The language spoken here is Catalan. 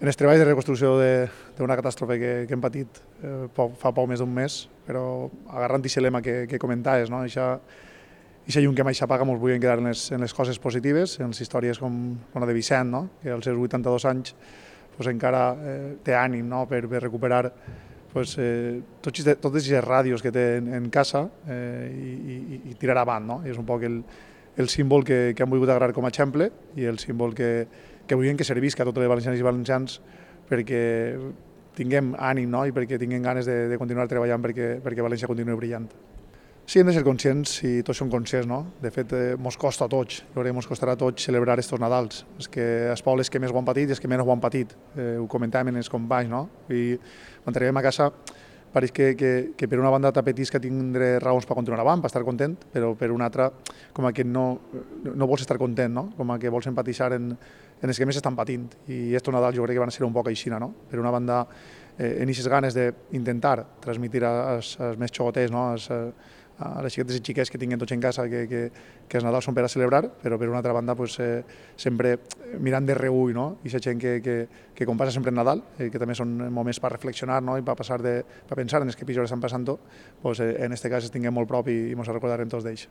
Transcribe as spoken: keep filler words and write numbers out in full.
en els treballs de reconstrucció d'una catàstrofe que, que hem patit eh, poc, fa poc més d'un mes, però agarrant aquest lema que, que comentaves, no? Eixa llum que mai s'apaga mos volien quedar en les, en les coses positives, en les històries com, com la de Vicent, no? Que als seus vuitanta-dos anys pues, encara eh, té ànim, no? per, per recuperar pues, eh, tots, totes aquestes ràdios que té en, en casa eh, i, i, i tirar avant. No? I és un poc el, el símbol que, que han volgut agarrar com a exemple i el símbol que, que volien que servisca a totes les valencianes i valencians perquè tinguem ànim, no? I perquè tinguem ganes de, de continuar treballant perquè, perquè València continuï brillant. Sí, hem de ser conscients i tots som conscients, no? De fet, eh, mos costa a tots, jo crec que mos costarà a tots celebrar estos Nadals. És que els pobles que més ho han patit i els que menys ho han patit. Eh, ho comentàvem en els companys, no? I quan arribem a casa pareix que, que, que per una banda t'apetís que tindré raons per continuar avant, per estar content, però per una altra com que no, no vols estar content, no? Com que vols empatitzar en, en els que més estan patint. I estos Nadals jo crec que van ser un poc aixina, no? Per una banda, eh, en aquestes ganes d'intentar transmitir als, als més xogoters, no? Als, a les xiquetes i xiquets que tinguin tots en casa que, que, que els Nadals són per a celebrar, però per una altra banda pues, eh, sempre mirant de reull, no? I aquesta gent que, que, que com passa sempre en Nadal, eh, que també són moments per reflexionar, no? I per, passar de, per pensar en els que pitjor estan passant, pues, eh, en aquest cas els tinguem molt prop i, i ens recordarem tots d'ells.